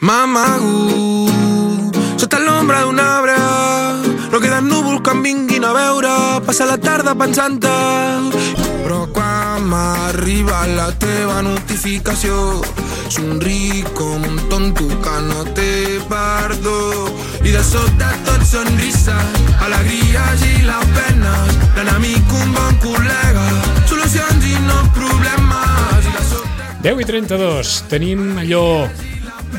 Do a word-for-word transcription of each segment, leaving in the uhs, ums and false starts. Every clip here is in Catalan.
m'amago sota l'ombra d'un arbre. No queden núvols que em vinguin a veure, passa la tarda pensant-te. Però quan m'arriba la teva notificació, somric com un tonto que no té perdó. I de sobte tot sonrises, alegries i les penes, l'enemic un bon col·lega, solucions i no problemes. I de sobte... deu i trenta-dos, tenim allò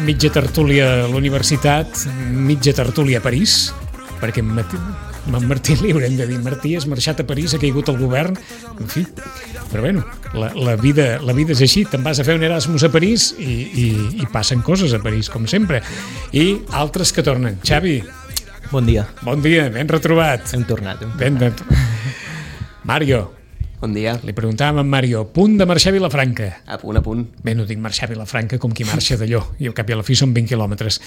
mitja tertúlia a la universitat, mitja tertúlia a París, perquè en Martí, en Martí li haurem de dir, Martí has marxat a París, ha caigut el govern, en fi, però bueno, la, la, vida, la vida és així, te'n vas a fer un Erasmus a París i, i, i passen coses a París, com sempre, i altres que tornen. Xavi. Bon dia. Bon dia, ben retrobat. Hem tornat. Hem ben tornat. Mario. Bon dia. Li preguntàvem a Mario, punt de marxar a Vilafranca. A punt, a punt. Bé, no dic marxar a Vilafranca com qui marxa d'allò, i al cap i a la fi són vint quilòmetres.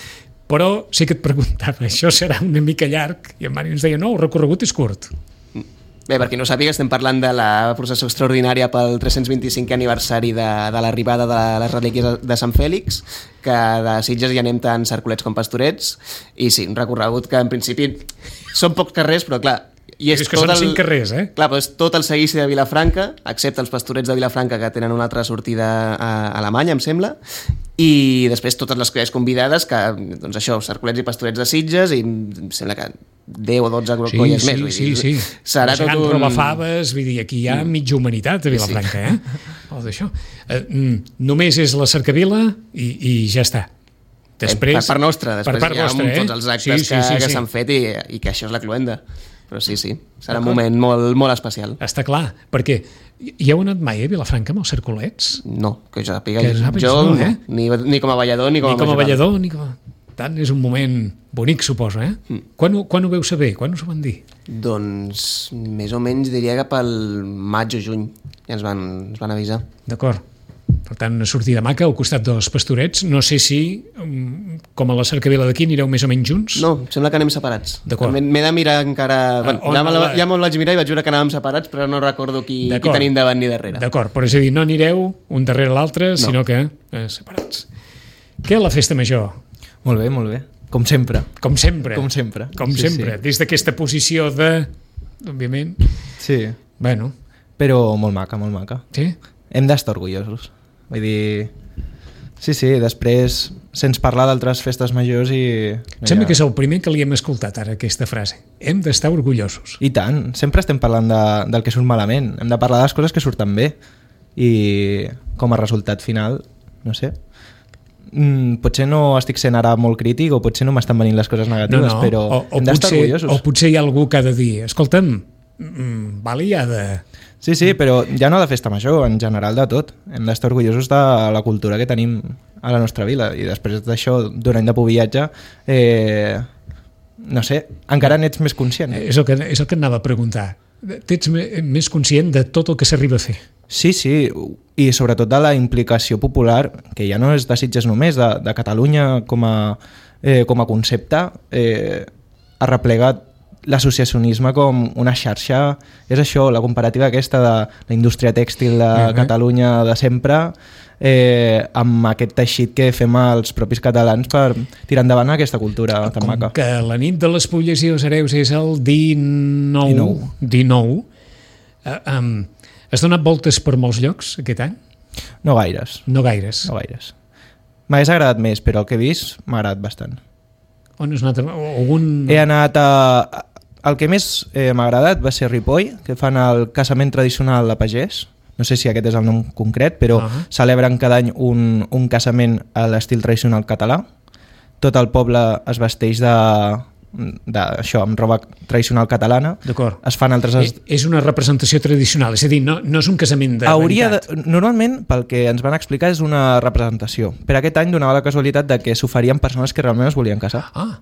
Però sí que et preguntava, això serà una mica llarg? I en Mario ens deia, no, el recorregut és curt. Bé, per qui no sàpiga, estem parlant de la processó extraordinària pel tres-cents vint-i-cinquè aniversari de, de l'arribada de les relíquies de Sant Fèlix, que de Sitges hi anem tant Cercolets com Pastorets, i sí, un recorregut que en principi són pocs carrers, però clar, i és, és que són el... cinc carrers, eh? Clar, però és tot el seguici de Vilafranca, excepte els Pastorets de Vilafranca, que tenen una altra sortida a Alemanya, em sembla, i després totes les colles convidades, que, doncs això, Cercolets i Pastorets de Sitges, i em sembla que deu o dotze sí, colles sí, més. Vull sí, dir, sí. Serà tot un... robafaves, vull dir, aquí hi ha mitja humanitat a Vilafranca, sí. eh? O d'això. Eh, només és la cercavila i, i ja està. Després, per part nostra, després per part hi ha nostra, eh? tots els actes sí, sí, que, sí, que sí. s'han fet i, i que això és la cloenda. Però sí, sí, serà un moment molt, molt especial. Està clar, perquè hi heu anat mai a Vilafranca amb els Cercolets? No, que jo sàpiga. Que sàpigues, jo no, eh? ni, ni com a ballador ni com ni a com a ballador, ni com a... Tant, és un moment bonic, suposo, eh? Mm. Quan, ho, quan ho veu saber? Quan us ho van dir? Doncs més o menys diria que pel maig o juny ja ens van, ens van avisar. D'acord. Per tant, una sortida maca al costat dels Pastorets. No sé si, com a la cercavila d'aquí, anireu més o menys junts? No, sembla que anem separats. D'acord. M'he de mirar encara... Bueno, ja me'l ja me vaig mirar i vaig veure que anàvem separats, però no recordo qui, qui tenim davant ni darrere. D'acord, però és a dir, no anireu un darrere l'altre, no. sinó que eh, separats. Què la festa major? Molt bé, molt bé. Com sempre. Com sempre. Com sempre. Com sí, sempre. Sí. Des d'aquesta posició de... Òbviament. Sí. Bueno. Però molt maca, molt maca. Sí? Hem d'estar orgullosos. Vull dir... Sí, sí, després sents parlar d'altres festes majors i... Em sembla que és el primer que li hem escoltat ara, aquesta frase. Hem d'estar orgullosos. I tant. Sempre estem parlant de, del que surt malament. Hem de parlar de les coses que surten bé. I com a resultat final, no sé... Mm, potser no estic sent ara molt crític o potser no m'estan venint les coses negatives, no, no. però o, o hem d'estar potser, orgullosos. O potser hi ha algú que ha de dir, escolta'm, mm, vale, ja de... Sí, sí, però ja no de festa major, en general de tot. Hem d'estar orgullosos de la cultura que tenim a la nostra vila i després d'això, d'un any de pobillatge, eh, no sé, encara n'ets més conscient. És el que, és el que anava a preguntar. T'ets més conscient de tot el que s'arriba a fer. Sí, sí, i sobretot de la implicació popular, que ja no és de Sitges només, de, de Catalunya com a, eh, com a concepte, eh, ha replegat l'associacionisme com una xarxa. És això, la comparativa aquesta de la indústria tèxtil de uh-huh. Catalunya de sempre, eh, amb aquest teixit que fem els propis catalans per tirar endavant aquesta cultura tan com maca. Que la nit de les Pulles i els Hereus és el dinou... dinou. dinou. Uh, um, has donat voltes per molts llocs aquest any? No gaires. No gaires. No gaires. M'hagués agradat més, però el que he vist m'ha agradat bastant. On has anat? Algun... He anat a... El que més eh, m'ha agradat va ser Ripoll, que fan el casament tradicional de pagès. No sé si aquest és el nom concret, però uh-huh. celebren cada any un, un casament a l'estil tradicional català. Tot el poble es vesteix de... d'això, amb roba tradicional catalana. D'acord. Es fan altres... És, és una representació tradicional, és a dir, no, no és un casament de Hauria veritat. De, normalment, pel que ens van explicar, és una representació. Per aquest any donava la casualitat de que s'oferien persones que realment es volien casar. Ah.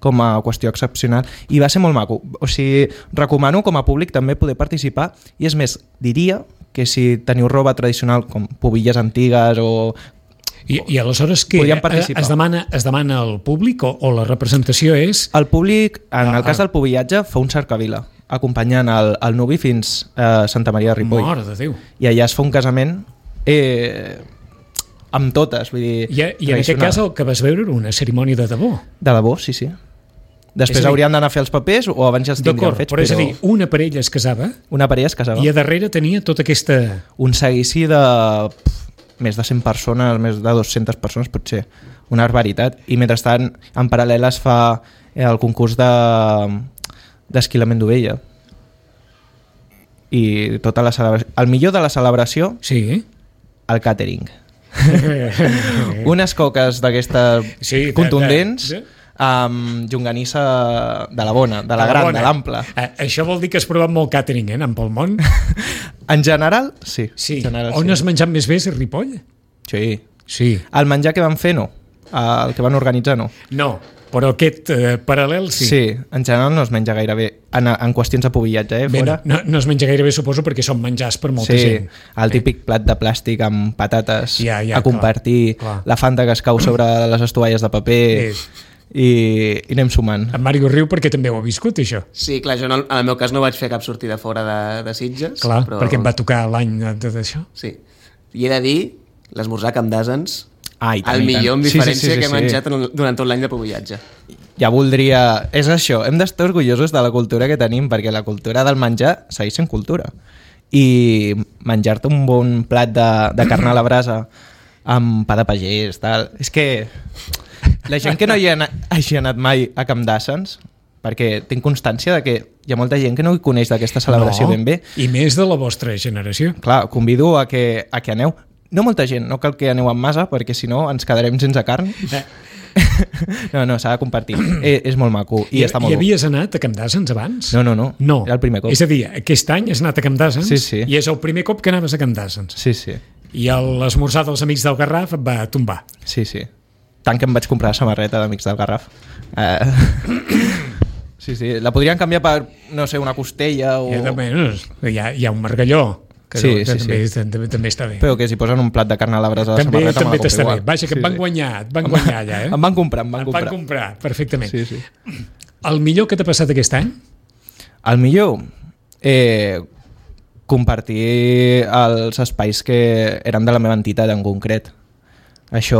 Com a qüestió excepcional. I va ser molt maco. O sigui, recomano com a públic també poder participar. I és més, diria que si teniu roba tradicional com pubilles antigues o... I, i aleshores què? Es demana, es demana al públic o, o la representació és... El públic, en ah, el cas del pubillatge, fa un cercavila acompanyant el, el nuvi fins a Santa Maria de Ripoll. Mare de Déu. I allà es fa un casament... Eh, amb totes, vull dir... I, i en aquest cas el que vas veure era una cerimònia de debò. De debò, sí, sí. Després dir, haurien d'anar a fer els papers o abans ja els tindrien fets. Però és a dir, una parella es casava, una parella es casava i a darrere tenia tota aquesta... Un seguici de pff, més de cent persones, més de dues-centes persones, potser. Una barbaritat. I mentrestant, en paral·lel es fa el concurs de d'esquilament d'ovella. I tota la celebració... El millor de la celebració, sí. El càtering. Unes coques d'aquestes sí, contundents... De, de, de... amb llonganissa de la bona, de la, de la gran, bona. De l'ampla. Eh, això vol dir que has provat molt càtering, eh, en pel món? En general, sí. sí. En general, On sí. has menjat més bé, a Ripoll? Sí. sí. El menjar que van fer, no. El que van organitzar, no. No, però aquest eh, paral·lel, sí. Sí, en general no es menja gaire bé. En, en qüestions de pobillatge, eh, bé, fora. No, no es menja gaire bé, suposo, perquè són menjars per molta sí, gent. Sí, el típic eh? plat de plàstic amb patates ja, ja, a compartir, clar, clar. La Fanta que es cau sobre les estovalles de paper... Sí. I, i anem sumant. En Mario riu perquè també ho ha viscut, això. Sí, clar, jo no, en el meu cas no vaig fer cap sortida fora de, de Sitges. Clar, però... perquè em va tocar l'any d'això. Sí, i he de dir, l'esmorzar a Camp d'Àsens, ah, tant, el millor amb diferència sí, sí, sí, sí, que he menjat sí. durant tot l'any de pobillatge. Ja voldria... És això, hem d'estar orgullosos de la cultura que tenim, perquè la cultura del menjar segueix sent cultura. I menjar-te un bon plat de, de carn a la brasa amb pa de pagès, tal... És que... La gent que no hi ha anat, hagi anat mai a Camp d'Àsens, perquè tinc constància de que hi ha molta gent que no hi coneix d'aquesta celebració no, ben bé. I més de la vostra generació. Clar, convido a que, a que aneu. No molta gent, no cal que aneu amb massa, perquè si no ens quedarem sense carn. Eh. No, no, s'ha de compartir. Eh, és molt maco i, I està molt I havies anat a Camp d'Àsens abans? No, no, no, no. Era el primer cop. És a dir, aquest any has anat a Camp d'Àsens sí, sí. i és el primer cop que anaves a Camp d'Àsens. Sí, sí. I l'esmorzar dels amics del Garraf et va tombar. Sí, sí. Tant que em vaig comprar la samarreta d'Amics del Garraf. Uh, sí, sí. La podrien canviar per, no sé, una costella o... Ja, també, no, hi, ha, hi ha un margalló que, sí, que sí, també, sí. també, també està bé. Però que si posen un plat de carn a la brasa a la també, samarreta... També t'està bé. Igual. Vaja, que sí, et van sí. guanyar, et van guanyar allà, eh? Em van comprar, em van em comprar. van comprar, perfectament. Sí, sí. El millor que t'ha passat aquest any? El millor? Eh, compartir els espais que eren de la meva entitat en concret. Això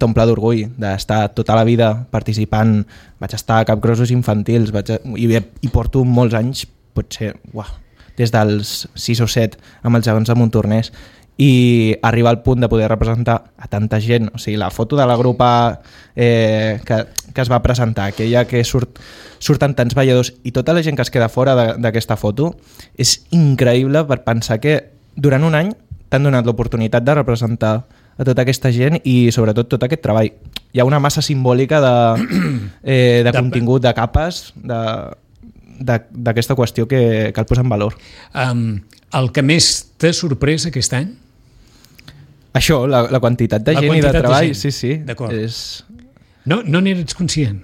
t'omple d'orgull d'estar tota la vida participant. Vaig estar a capgrossos infantils vaig a... I, i porto molts anys, potser uah, des dels sis o set amb els gegants de Montornès, i arribar al punt de poder representar a tanta gent. O sigui, la foto de la grupa eh, que, que es va presentar, aquella que surt, surten tants balladors i tota la gent que es queda fora d'aquesta foto, és increïble per pensar que durant un any t'han donat l'oportunitat de representar a tota aquesta gent i sobretot tot aquest treball. Hi ha una massa simbòlica de, eh, de contingut, de capes, d'aquesta qüestió que cal posar en valor. Um, el que més t'ha sorprès aquest any? Això, la, la quantitat de la gent quantitat i de treball. De sí, sí. És... No, no n'eres conscient?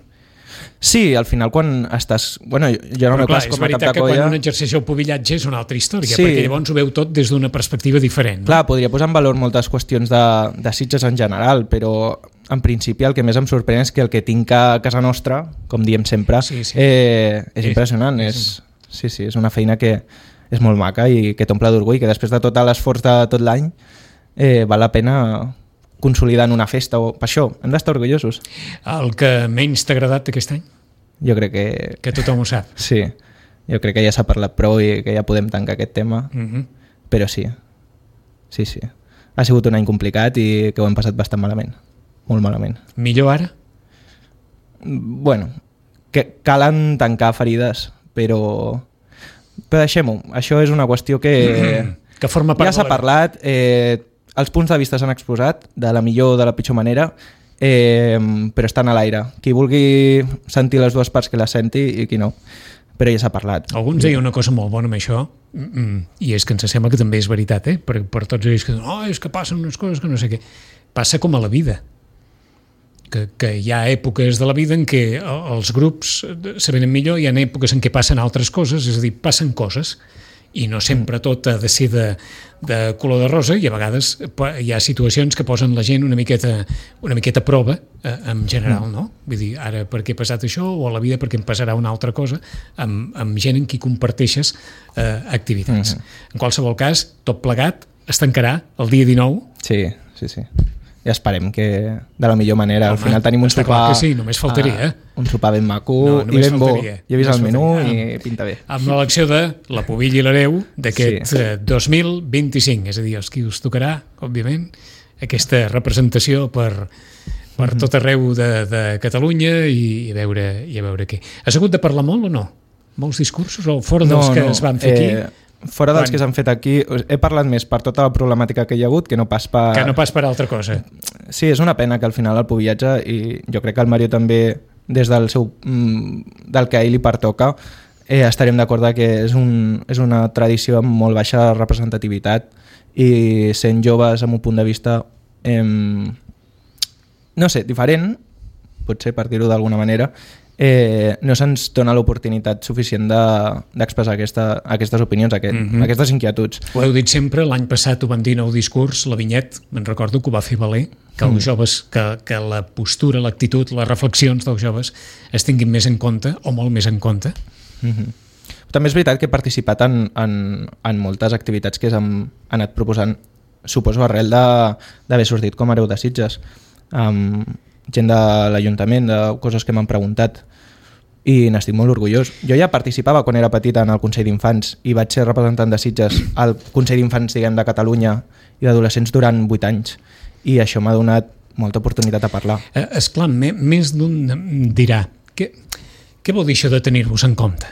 Sí, al final quan estàs... Bueno, jo no m'he cas com a cap de colla... És veritat que quan un exerceix el pobillatge és una altra història, sí. Perquè llavors ho veu tot des d'una perspectiva diferent. No? Clar, podria posar en valor moltes qüestions de, de Sitges en general, però en principi el que més em sorprèn és que el que tinc a casa nostra, com diem sempre, sí, sí. Eh, és, és impressionant. És, sí, sí, és una feina que és molt maca i que t'omple d'orgull, que després de tot l'esforç de tot l'any eh, val la pena... consolidant una festa o per això, hem d'estar orgullosos. El que menys t'ha agradat aquest any? Jo crec que... Que tothom ho sap. Sí, jo crec que ja s'ha parlat prou i que ja podem tancar aquest tema, uh-huh. Però sí, sí, sí. Ha sigut un any complicat i que ho hem passat bastant malament, molt malament. Millor ara? Bueno, que calen tancar ferides, però, però deixem-ho. Això és una qüestió que, mm-hmm. que forma part ja s'ha parlat, eh, els punts de vista s'han exposat de la millor o de la pitjor manera, eh, però estan a l'aire. Qui vulgui sentir les dues parts que la senti i qui no. Però ja s'ha parlat. Alguns deien una cosa molt bona amb això, i és que ens sembla que també és veritat, eh? per, per tots ells que diuen, oh, és que passen unes coses que no sé què. Passa com a la vida. Que, que hi ha èpoques de la vida en què els grups se venen millor, hi ha èpoques en què passen altres coses, és a dir, passen coses, i no sempre tot ha de ser de, de color de rosa, i a vegades hi ha situacions que posen la gent una miqueta, una miqueta a prova, eh, en general, no? Vull dir, ara perquè he passat això, o a la vida perquè em passarà una altra cosa, amb, amb gent en qui comparteixes eh, activitats. Mm-hmm. En qualsevol cas, tot plegat es tancarà el dia dinou. Sí, sí, sí. i esperem que de la millor manera. Home, al final tenim un està sopar... clar que sí, només faltaria, eh? Un sopar ben maco No, i només ben bo. faltaria. Ja he vist Només el menú faltaria. i pinta bé. Amb l'elecció de la Pubilla i l'Hereu d'aquest Sí. eh, dos mil vint-i-cinc, és a dir, els qui us tocarà, òbviament, aquesta representació per, per Mhm. tot arreu de, de Catalunya i, i, a veure, i a veure què. Has hagut de parlar molt o no? Molts discursos o fora dels que es van fer aquí? Eh, fora dels Quan? que s'han fet aquí, he parlat més per tota la problemàtica que hi ha hagut que no pas per... Que no pas per altra cosa. Sí, és una pena que al final el pubillatge, i jo crec que el Mario també, des del seu mm, del que a ell li pertoca, eh, estarem d'acord que és, un, és una tradició amb molt baixa representativitat i sent joves amb un punt de vista eh, no sé, diferent, potser per dir-ho d'alguna manera, eh, no se'ns dona l'oportunitat suficient d'expressar de, aquesta, aquestes opinions, aquest, mm -hmm. aquestes inquietuds. Ho heu dit sempre, l'any passat ho van dir en el discurs, la Vinyet, me'n recordo que ho va fer valer, que els Mm. joves, que, que la postura, l'actitud, les reflexions dels joves es tinguin més en compte, o molt més en compte. Mm -hmm. També és veritat que he participat en, en, en moltes activitats que s'han anat proposant, suposo arrel d'haver sortit com a hereu de Sitges. Um, gent de l'Ajuntament, de coses que m'han preguntat, i n'estic molt orgullós. Jo ja participava quan era petita en el Consell d'Infants i vaig ser representant de Sitges al Consell d'Infants, diguem, de Catalunya i d'adolescents durant vuit anys, i això m'ha donat molta oportunitat a parlar. Eh, esclar, me, més d'un dirà, què, què vol dir això de tenir-vos en compte?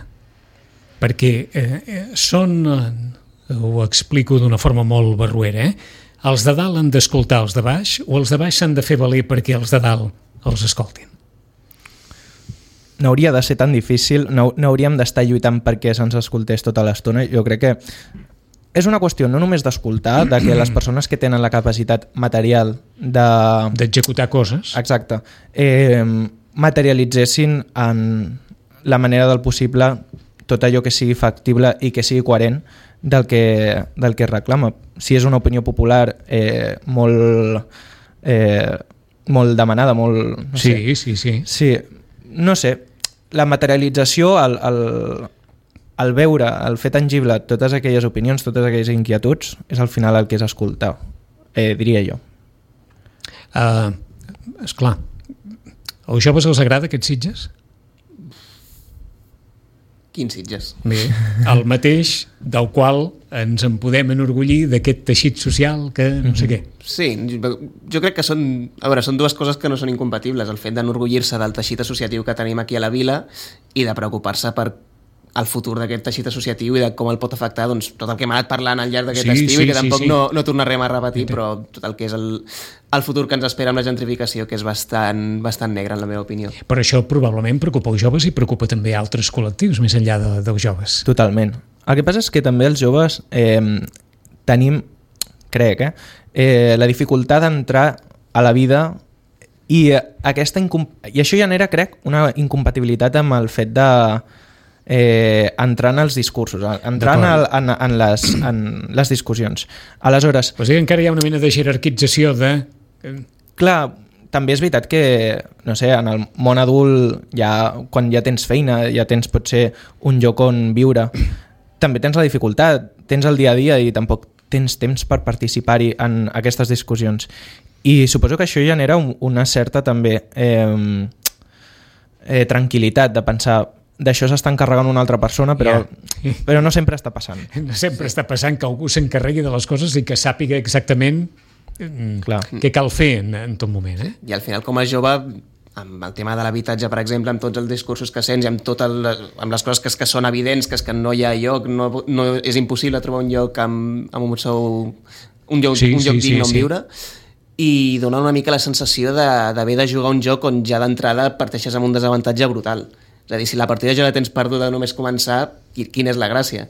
Perquè eh, eh, són, eh, ho explico d'una forma molt barruera, eh? Els de dalt han d'escoltar els de baix o els de baix s'han de fer valer perquè els de dalt els escoltin? No hauria de ser tan difícil, no, no hauríem d'estar lluitant perquè se'ns escoltés tota l'estona. Jo crec que és una qüestió no només d'escoltar, de que les persones que tenen la capacitat material de... d'executar coses. Exacte. Eh, materialitzessin en la manera del possible tot allò que sigui factible i que sigui coherent del que, del que reclama. Si és una opinió popular eh, molt, eh, molt demanada, molt... No sí, sé. sí, sí. Sí, no sé, la materialització, el, el, el veure, el fer tangible totes aquelles opinions, totes aquelles inquietuds, és al final el que és escoltar, eh, diria jo. Uh, esclar, als joves els agrada aquests Sitges? Quins Sitges? Bé, el mateix del qual ens en podem enorgullir d'aquest teixit social que no sé què. Sí, jo, jo crec que són, a veure, són dues coses que no són incompatibles, el fet d'enorgullir-se del teixit associatiu que tenim aquí a la vila i de preocupar-se per el futur d'aquest teixit associatiu i de com el pot afectar, doncs, tot el que hem anat parlant al llarg d'aquest Sí, estiu sí, i que tampoc sí, sí. no, no tornarem a repetir, Sí. però tot el que és el, el futur que ens espera amb la gentrificació, que és bastant, bastant negre, en la meva opinió. Però això probablement preocupa els joves i preocupa també altres col·lectius més enllà de, dels joves. Totalment. El que passa és que també els joves eh, tenim, crec, eh, eh, la dificultat d'entrar a la vida i, eh, aquesta incom- i això genera, crec, una incompatibilitat amb el fet de eh, entrar en els discursos, entrar en, el, en, en, les, en les discussions. Aleshores, Pues encara hi ha una mena de jerarquització de... clar, també és veritat que, no sé, en el món adult, ja, quan ja tens feina, ja tens potser un lloc on viure, també tens la dificultat, tens el dia a dia i tampoc tens temps per participar-hi en aquestes discussions. I suposo que això genera un, una certa també eh, eh, tranquil·litat de pensar d'això s'està encarregant una altra persona, però, Ja. però no sempre està passant. Sempre està passant que algú s'encarregui de les coses i que sàpiga exactament mm, Clar. què cal fer en, en tot moment. Eh? I al final, com a jove, amb el tema de l'habitatge, per exemple, amb tots els discursos que sents i amb, tot el, amb les coses que, que són evidents, que és que no hi ha lloc, no, no és impossible trobar un lloc amb, amb un sou, un lloc, Sí, un lloc sí, digne sí, on sí. viure, i dona una mica la sensació de- d'haver de, de jugar un joc on ja d'entrada parteixes amb un desavantatge brutal. És a dir, si la partida ja la tens perduda només començar, qui- quina és la gràcia?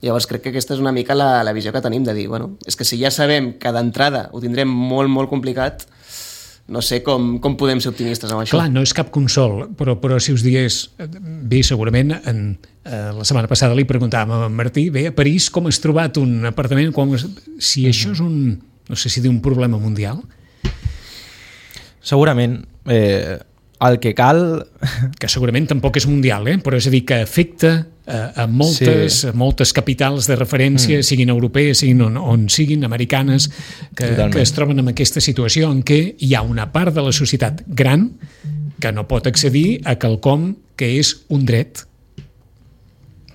Llavors crec que aquesta és una mica la, la visió que tenim de dir, bueno, és que si ja sabem que d'entrada ho tindrem molt, molt complicat, no sé com, com podem ser optimistes amb això. Clar, no és cap consol, però, però si us digués, bé, segurament en, eh, la setmana passada li preguntàvem a en Martí, bé, a París com has trobat un apartament, com, has- si això és un, no sé si dir un problema mundial, Segurament eh, el que cal... que segurament tampoc és mundial, eh? Però és a dir, que afecta a, a, moltes, sí. a moltes capitals de referència, mm. siguin europees, siguin on, on siguin, americanes, que, que es troben en aquesta situació en què hi ha una part de la societat gran que no pot accedir a quelcom que és un dret.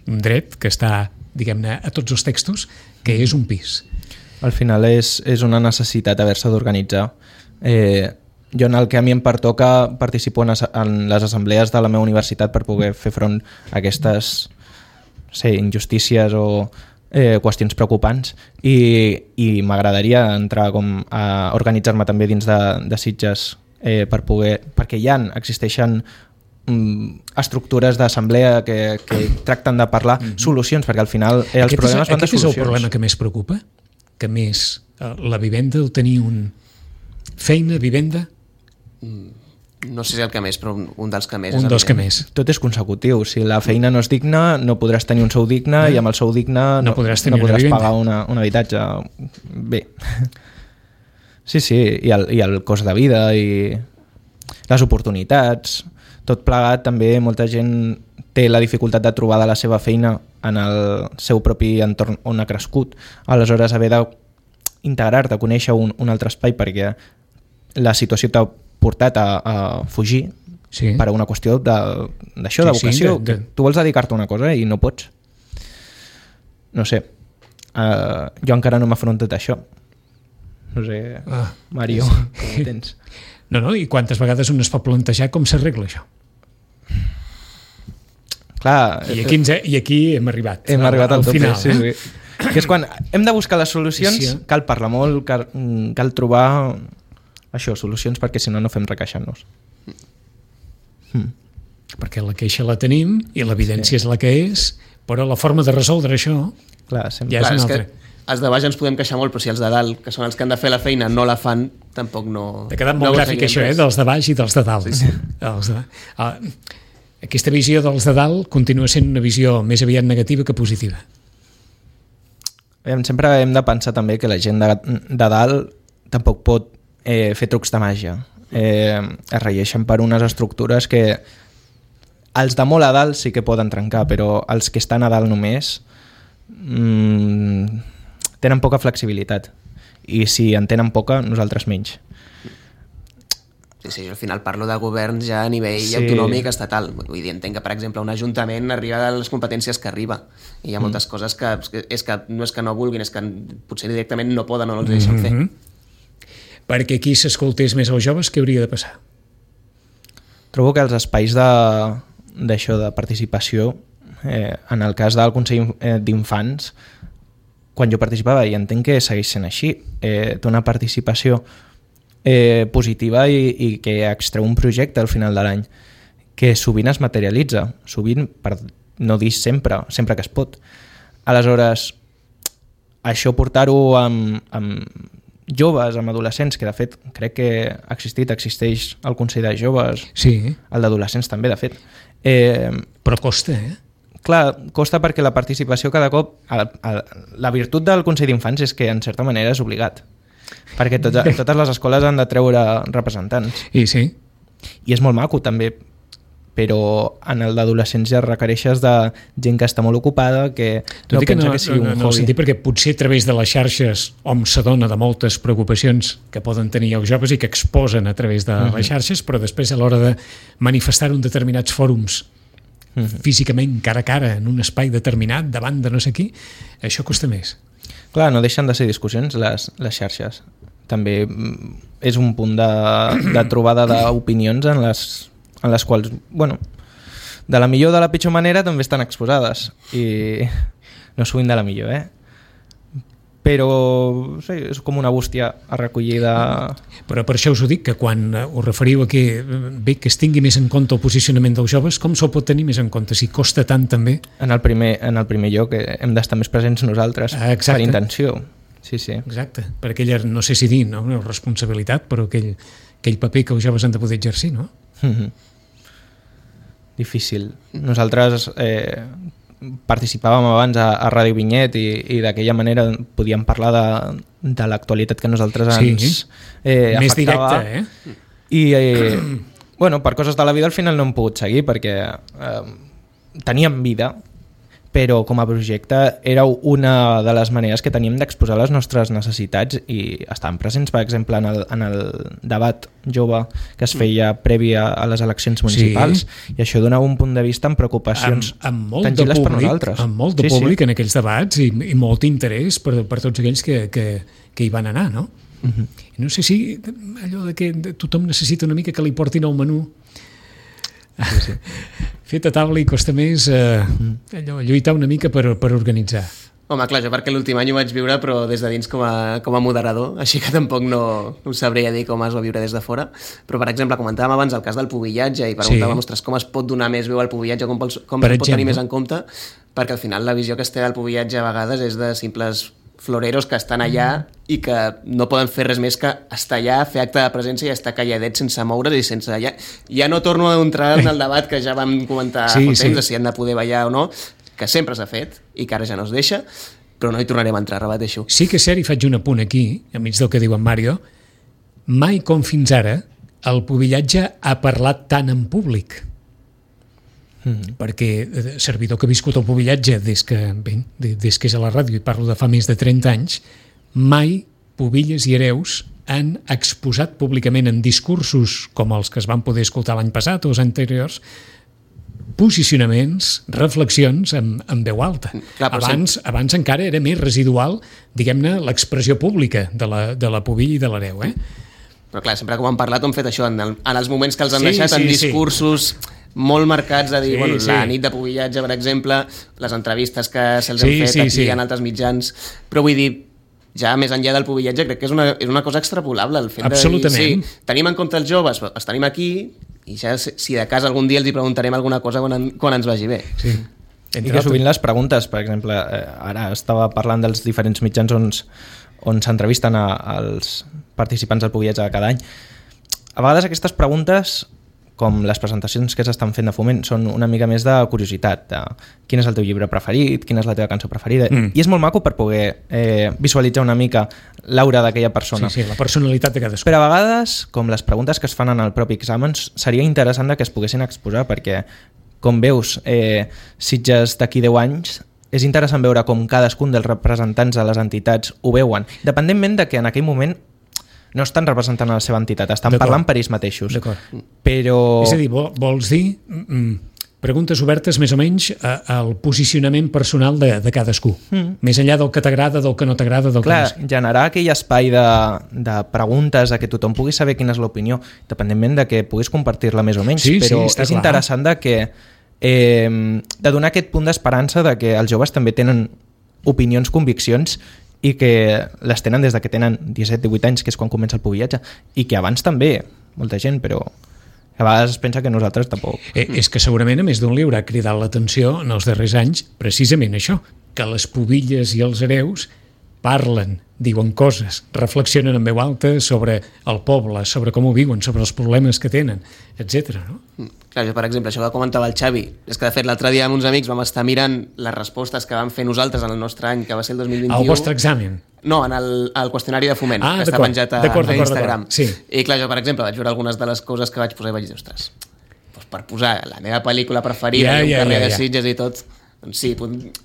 Un dret que està, diguem-ne, a tots els textos, que és un pis. Al final és, és una necessitat haver-se d'organitzar. Eh, jo en el que a mi em pertoca participo en, en les assemblees de la meva universitat per poder fer front a aquestes sé, injustícies o eh, qüestions preocupants i, i m'agradaria entrar com a organitzar-me també dins de, de Sitges eh, per poder, perquè ja existeixen estructures d'assemblea que, que tracten de parlar mm-hmm. solucions, perquè al final eh, els aquest problemes és, van de solucions. Aquest és el problema que més preocupa? Que més eh, la vivenda, el tenir un feina, vivenda? No sé si el que més, però un dels que més. Un dels que més. Tot és consecutiu. Si la feina no és digna, no podràs tenir un sou digne eh? i amb el sou digne no, no podràs, tenir no podràs una pagar una, un habitatge. Bé. Sí, sí, i el, i el cost de vida i les oportunitats, tot plegat també molta gent té la dificultat de trobar de la seva feina en el seu propi entorn on ha crescut. Aleshores haver d'integrar-te, conèixer un, un altre espai perquè la situació t'ha portat a, a fugir sí. per una qüestió d'això, de, de vocació. Sí, de, de... Tu vols dedicar-te a una cosa i no pots. No sé. Uh, jo encara no m'he afrontat a això. No sé, ah, Mario, sí. com ho tens? No, no, i quantes vegades un es pot plantejar com s'arregla això? Clar, I aquí, ens he, i aquí hem arribat. Hem al, arribat al, al tope, final. Sí, eh? sí. Que és quan hem de buscar les solucions, sí. cal parlar molt, cal, cal trobar això, solucions, perquè si no, no fem requeixant-nos. Hmm. Perquè la queixa la tenim i l'evidència sí. és la que és, però la forma de resoldre això Clar, sempre. ja és Clar, una és altra. Que... Els de baix ens podem queixar molt, però si els de dalt, que són els que han de fer la feina, no la fan, tampoc no... T'ha quedat molt no gràfic això, eh? Dels de baix i dels de dalt. Sí, sí. Els de... ah, aquesta visió dels de dalt continua sent una visió més aviat negativa que positiva. Sempre hem de pensar també que la gent de, de dalt tampoc pot eh, fer trucs de màgia. Eh, es regeixen per unes estructures que els de molt a dalt sí que poden trencar, però els que estan a dalt només... Mmm, tenen poca flexibilitat i si en tenen poca, nosaltres menys. Sí, sí, al final parlo de governs ja a nivell sí. autonòmic estatal. Vull dir, entenc que, per exemple, un ajuntament arriba a les competències que arriba i hi ha moltes mm. coses que, és que no és que no vulguin, és que potser directament no poden o no els deixen mm-hmm. fer. Perquè aquí s'escoltés més els joves, què hauria de passar? Trobo que els espais de, d'això de participació, eh, en el cas del Consell d'Infants, quan jo participava, i entenc que segueix sent així, eh, té una participació eh, positiva i, i que extreu un projecte al final de l'any, que sovint es materialitza, sovint, per no dir sempre, sempre que es pot. Aleshores, això portar-ho amb, amb joves, amb adolescents, que de fet crec que ha existit, existeix el Consell de Joves, sí. el d'adolescents també, de fet. Eh, Però costa, eh? Clar, costa perquè la participació cada cop... A, a, la virtut del Consell d'Infants és que en certa manera és obligat, perquè tot, totes les escoles han de treure representants. I sí. I és molt maco també, però en el d'adolescents ja requereixes de gent que està molt ocupada, que Tot no que pensa no, que sigui no, un no, hobby. sentit, perquè potser a través de les xarxes hom s'adona de moltes preocupacions que poden tenir els joves i que exposen a través de uh-huh. les xarxes, però després a l'hora de manifestar en determinats fòrums uh-huh. físicament, cara a cara, en un espai determinat, davant de no sé qui, això costa més. Clar, no deixen de ser discussions les, les xarxes. També és un punt de, de trobada d'opinions en les, en les quals, bueno, de la millor o de la pitjor manera també estan exposades. I no sovint de la millor, eh? Però sí, és com una bústia a recollir de... Però per això us ho dic, que quan us referiu a que bé que es tingui més en compte el posicionament dels joves, com se'l pot tenir més en compte? Si costa tant també... En el primer, en el primer lloc hem d'estar més presents nosaltres, ah, per intenció. Sí, sí. Exacte, per aquella, no sé si dir, no? Una responsabilitat, però aquell, aquell paper que els joves han de poder exercir, no? Mm-hmm. Difícil. Nosaltres... Eh, participàvem abans a, a Ràdio Vinyet i, i d'aquella manera podíem parlar de, de l'actualitat que a nosaltres ens sí. eh, més afectava. directe, eh? I eh, bueno, per coses de la vida al final no hem pogut seguir perquè eh, teníem vida però com a projecte era una de les maneres que teníem d'exposar les nostres necessitats i estaven presents, per exemple, en el, en el debat jove que es feia previ a, a les eleccions municipals, sí. I això donava un punt de vista amb preocupacions amb, amb molt tangibles públic, per nosaltres. Amb molt de sí, públic sí. en aquells debats i, i molt interès per, per tots aquells que, que, que hi van anar, no? Uh-huh. No sé si allò de que tothom necessita una mica que li portin el menú. Sí, sí. Fet a taula i costa més eh, allò, lluitar una mica per, per organitzar. Home, clar, jo perquè l'últim any ho vaig viure, però des de dins com a, com a moderador, així que tampoc no, no us sabria dir com es va viure des de fora. Però, per exemple, comentàvem abans el cas del pubillatge i preguntàvem, sí. ostres, com es pot donar més veu al pubillatge, com, com es pot tenir més en compte, perquè al final la visió que es té del pubillatge a vegades és de simples floreros que estan allà i que no poden fer res més que estar allà, fer acte de presència i estar calladets sense moure's i sense... Ja, ja no torno a entrar en el debat que ja vam comentar sí, fa temps, sí. de si han de poder ballar o no, que sempre s'ha fet i que ara ja no es deixa, però no hi tornarem a entrar, repeteixo. Sí que és cert, i faig un apunt aquí, enmig del que diu en Mario, mai com fins ara el pubillatge ha parlat tant en públic. Mm. Perquè servidor que ha viscut el pubillatge des que, bé, des que és a la ràdio i parlo de fa més de trenta anys, mai Pubilles i Hereus han exposat públicament en discursos com els que es van poder escoltar l'any passat o els anteriors posicionaments, reflexions en, en veu alta. Clar, abans, sempre... abans encara era més residual, diguem-ne, l'expressió pública de la, de la Pubilla i de l'Hereu, eh? Però clar, sempre que ho han parlat ho han fet això, en, el, en els moments que els han sí, deixat, sí, en discursos... Sí. molt marcats a dir, sí, bueno, sí. la nit de pubillatge, per exemple, les entrevistes que se'ls sí, han fet sí, aquí sí. en altres mitjans, però vull dir, ja més enllà del pubillatge, crec que és una, és una cosa extrapolable, el fet absolutament. De dir, sí, tenim en compte els joves, els tenim aquí, i ja si de cas algun dia els hi preguntarem alguna cosa quan, en, quan ens vagi bé. Sí. I que sovint les preguntes, per exemple, ara estava parlant dels diferents mitjans on, on s'entrevisten als participants del pubillatge de cada any. A vegades aquestes preguntes, com les presentacions que s'estan fent de Foment, són una mica més de curiositat, de quin és el teu llibre preferit, quina és la teva cançó preferida, mm. i és molt maco per poder eh, visualitzar una mica l'aura d'aquella persona. Sí, sí, la personalitat de cadascú. Però a vegades, com les preguntes que es fan en el propi examen, seria interessant que es poguessin exposar, perquè, com veus, eh, Sitges d'aquí deu anys, és interessant veure com cadascun dels representants de les entitats ho veuen, dependentment de que en aquell moment no estan representant a la seva entitat, estan parlant per ells mateixos. D'acord. Però... És a dir, vols dir mm, preguntes obertes més o menys a, al posicionament personal de, de cadascú, mm. més enllà del que t'agrada, del que no t'agrada, del Clar, que no... generar aquell espai de, de preguntes, de que tothom pugui saber quina és l'opinió, dependentment de que puguis compartir-la més o menys, sí, però sí, és clar. interessant de que eh, de donar aquest punt d'esperança de que els joves també tenen opinions, conviccions, i que les tenen des de que tenen disset divuit anys, que és quan comença el pubillatge, i que abans també, molta gent, però a vegades es pensa que nosaltres tampoc. Eh, és que segurament a més d'un llibre ha cridat l'atenció en els darrers anys precisament això, que les pubilles i els hereus parlen, diuen coses, reflexionen en veu alta sobre el poble, sobre com ho viuen, sobre els problemes que tenen, etcètera. No? Clar, jo, per exemple, això que comentava el Xavi, és que de fet l'altre dia amb uns amics vam estar mirant les respostes que vam fer nosaltres en el nostre any, que va ser el dos mil vint-i-u. Al vostre examen? No, en el, el qüestionari de Foment, ah, que està penjat a, a Instagram. Sí. I clar, jo, per exemple, vaig veure algunes de les coses que vaig posar i vaig dir, ostres, doncs per posar la meva pel·lícula preferida, yeah, i un yeah, carrer yeah, de Sitges yeah. i tot... Doncs sí,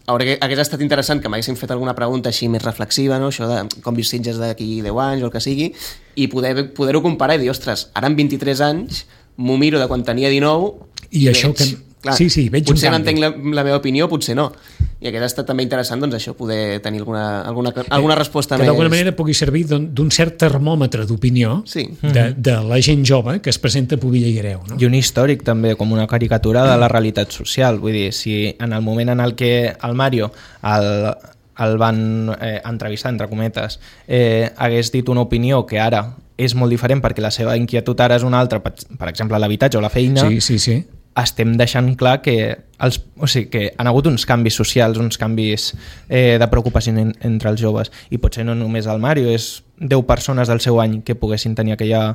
hagués estat interessant que m'haguessin fet alguna pregunta així més reflexiva, no? Això de com vius Sitges d'aquí deu anys o el que sigui, i poder-ho poder comparar i dir, ostres, ara amb vint-i-tres anys m'ho miro de quan tenia dinou i, i això veig, que... Clar, sí, sí, veig potser mantenc la, la meva opinió, potser no. I aquest ha estat també interessant, doncs això, poder tenir alguna, alguna, alguna resposta que més... Que d'alguna manera pugui servir d'un cert termòmetre d'opinió sí. de, de la gent jove que es presenta a Pubilla i Hereu. No? I un històric també, com una caricatura de la realitat social. Vull dir, si en el moment en el que el Mario el, el van eh, entrevistar, entre cometes, eh, hagués dit una opinió que ara és molt diferent perquè la seva inquietud ara és una altra, per, per exemple l'habitatge o la feina, sí, sí, sí. estem deixant clar que, els, o sigui, que han hagut uns canvis socials, uns canvis eh, de preocupació en, entre els joves, i potser no només el Mario, és deu persones del seu any que poguessin tenir aquella,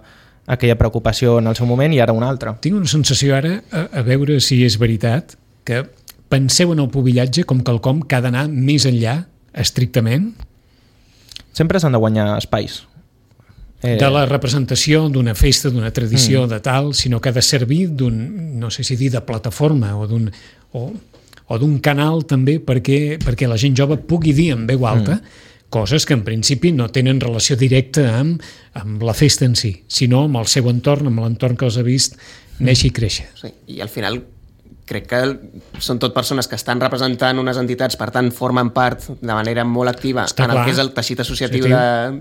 aquella preocupació en el seu moment i ara una altra. Tinc una sensació ara, a, a veure si és veritat, que penseu en el pubillatge com quelcom que ha d'anar més enllà, estrictament? Sempre s'han de guanyar espais. Eh... de la representació d'una festa, d'una tradició, mm. de tal, sinó que ha de servir d'un, no sé si dir, de plataforma o d'un, o, o d'un canal també perquè, perquè la gent jove pugui dir en veu alta mm. coses que en principi no tenen relació directa amb, amb la festa en si, sinó amb el seu entorn, amb l'entorn que els ha vist néixer i créixer. Sí, i al final crec que són tot persones que estan representant unes entitats, per tant formen part de manera molt activa Està en el clar. que és el teixit associatiu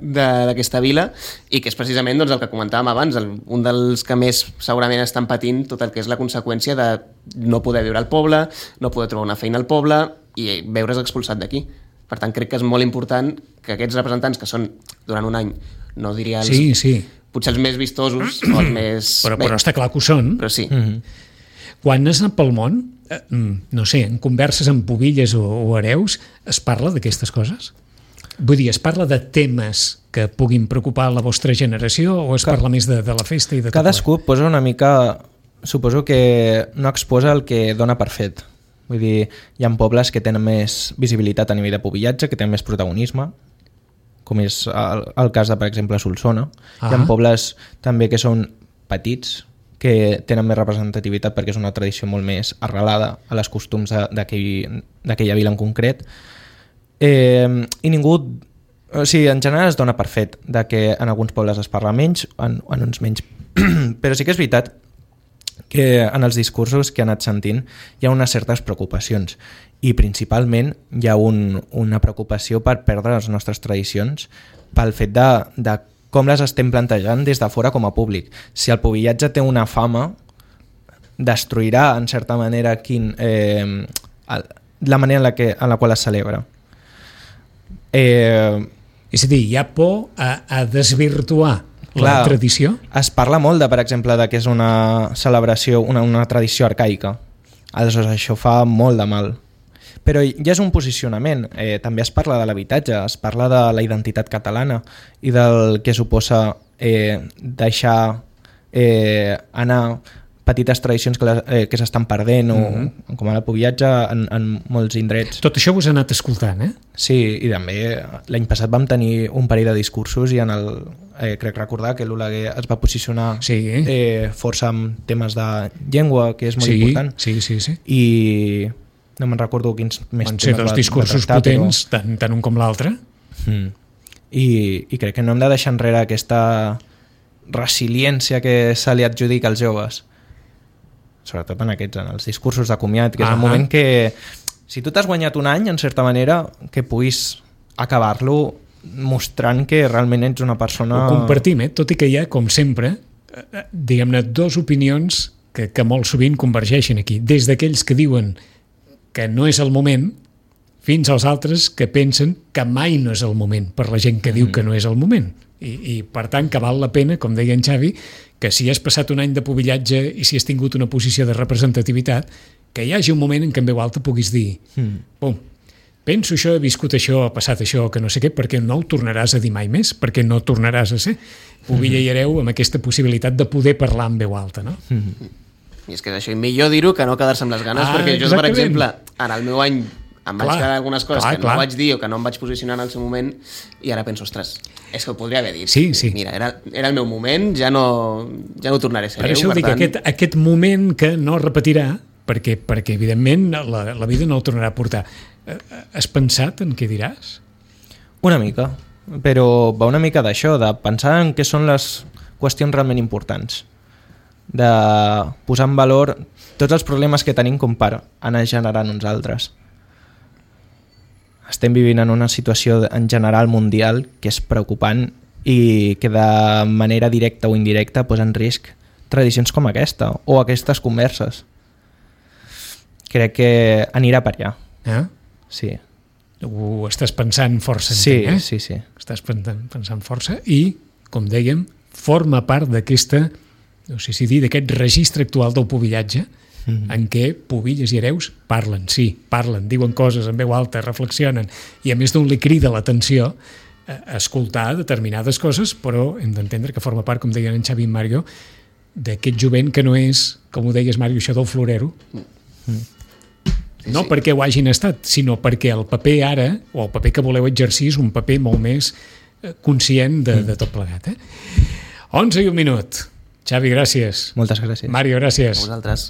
d'aquesta vila, i que és precisament doncs, el que comentàvem abans, el, un dels que més segurament estan patint tot el que és la conseqüència de no poder viure al poble, no poder trobar una feina al poble i veure's expulsat d'aquí. Per tant, crec que és molt important que aquests representants, que són durant un any, no diria els, Sí, sí. potser els més vistosos o els més... Però, bé, però està clar que ho són. però sí. Mm-hmm. Quan has anat pel món, eh, no sé, en converses amb pubilles o, o hereus, es parla d'aquestes coses? Vull dir, es parla de temes que puguin preocupar la vostra generació o es Ca- parla més de, de la festa i de tot Cadascú posa una mica... Suposo que no exposa el que dona per fet. Vull dir, hi ha pobles que tenen més visibilitat a nivell de pubillatge, que tenen més protagonisme, com és el, el cas de, per exemple, Solsona. Ah. Hi ha pobles també que són petits, que tenen més representativitat perquè és una tradició molt més arrelada a les costums de- d'aquell- d'aquella vila en concret. Eh, I ningú... O sigui, en general es dona per fet de que en alguns pobles es parla menys, en, en uns menys. Però sí que és veritat que en els discursos que he anat sentint hi ha unes certes preocupacions i principalment hi ha un, una preocupació per perdre les nostres tradicions pel fet de, de com les estem plantejant des de fora com a públic. Si el pubillatge té una fama, destruirà en certa manera quin, eh, el, la manera en la, que, en la qual es celebra. Eh, És a dir, hi ha por a, a desvirtuar Clar, la tradició? Es parla molt, de, per exemple, de que és una celebració, una, una tradició arcaica. Aleshores, això fa molt de mal. Però ja és un posicionament. Eh, també es parla de l'habitatge, es parla de la identitat catalana i del que suposa eh, deixar eh, anar petites tradicions que, les, eh, que s'estan perdent, mm-hmm. o com ara el pubillatge en, en molts indrets. Tot això us ha anat escoltant, eh? Sí, i també l'any passat vam tenir un parell de discursos i en el, eh, crec recordar que l'Oleguer es va posicionar Sí. eh, força amb temes de llengua, que és molt sí, important, sí, sí, sí. i no me'n recordo quins més Van ser temes dos va- discursos va tractar, potents, tant, tant un com l'altre. Però... Mm. I, I crec que no hem de deixar enrere aquesta resiliència que se li adjudica als joves, sobretot en aquests, en els discursos de comiat, que és Ahà. el moment que, si tu t'has guanyat un any, en certa manera, que puguis acabar-lo mostrant que realment ets una persona... Ho compartim, eh? Tot i que hi ha, com sempre, eh, diguem-ne, dos opinions que, que molt sovint convergeixen aquí. Des d'aquells que diuen que no és el moment, fins als altres que pensen que mai no és el moment, per la gent que diu que no és el moment. I, i per tant, que val la pena, com deia en Xavi, que si has passat un any de pubillatge i si has tingut una posició de representativitat, que hi hagi un moment en què en veu alta puguis dir Mm. pum, penso això, he viscut això, ha passat això, que no sé què, perquè no ho tornaràs a dir mai més, perquè no tornaràs a ser pubilla i hereu amb aquesta possibilitat de poder parlar en veu alta, no? Mm. I és que és això, i millor dir-ho que no quedar-se amb les ganes, Ah, perquè jo, per exactament. exemple, en el meu any em vaig Clar, quedar algunes coses clar, que clar. no vaig dir o que no em vaig posicionar en el seu moment, i ara penso, ostres, és que ho podria haver dit. Sí, sí. Mira, era, era el meu moment, ja no, ja no tornaré a ser Per hereu, això ho per dic, tant... aquest, aquest moment que no repetirà, perquè, perquè evidentment la, la vida no el tornarà a portar. Eh, Has pensat en què diràs? Una mica, però va una mica d'això, de pensar en què són les qüestions realment importants, de posar en valor tots els problemes que tenim com per anar generant uns altres. Estem vivint en una situació en general mundial que és preocupant i que de manera directa o indirecta posa en risc tradicions com aquesta o aquestes converses. Crec que anirà per allà. Eh? Sí, Ho estàs pensant força, sí, entenc, eh? sí, sí. Estàs pensant, pensant força i, com dèiem, forma part d'aquesta, no sé si dir, d'aquest registre actual del pubillatge, mm-hmm. en què pubilles i hereus parlen, sí, parlen, diuen coses en veu alta, reflexionen, i a més d'un li crida l'atenció a escoltar determinades coses, però hem d'entendre que forma part, com deien en Xavi i en Mario, d'aquest jovent que no és, com ho deies, Mario, això del florero, mm. no sí. perquè ho hagin estat, sinó perquè el paper ara, o el paper que voleu exercir, és un paper molt més eh, conscient de, de tot plegat. Eh? onze i un minut. Xavi, gràcies. Moltes gràcies. Mario, gràcies. A vosaltres.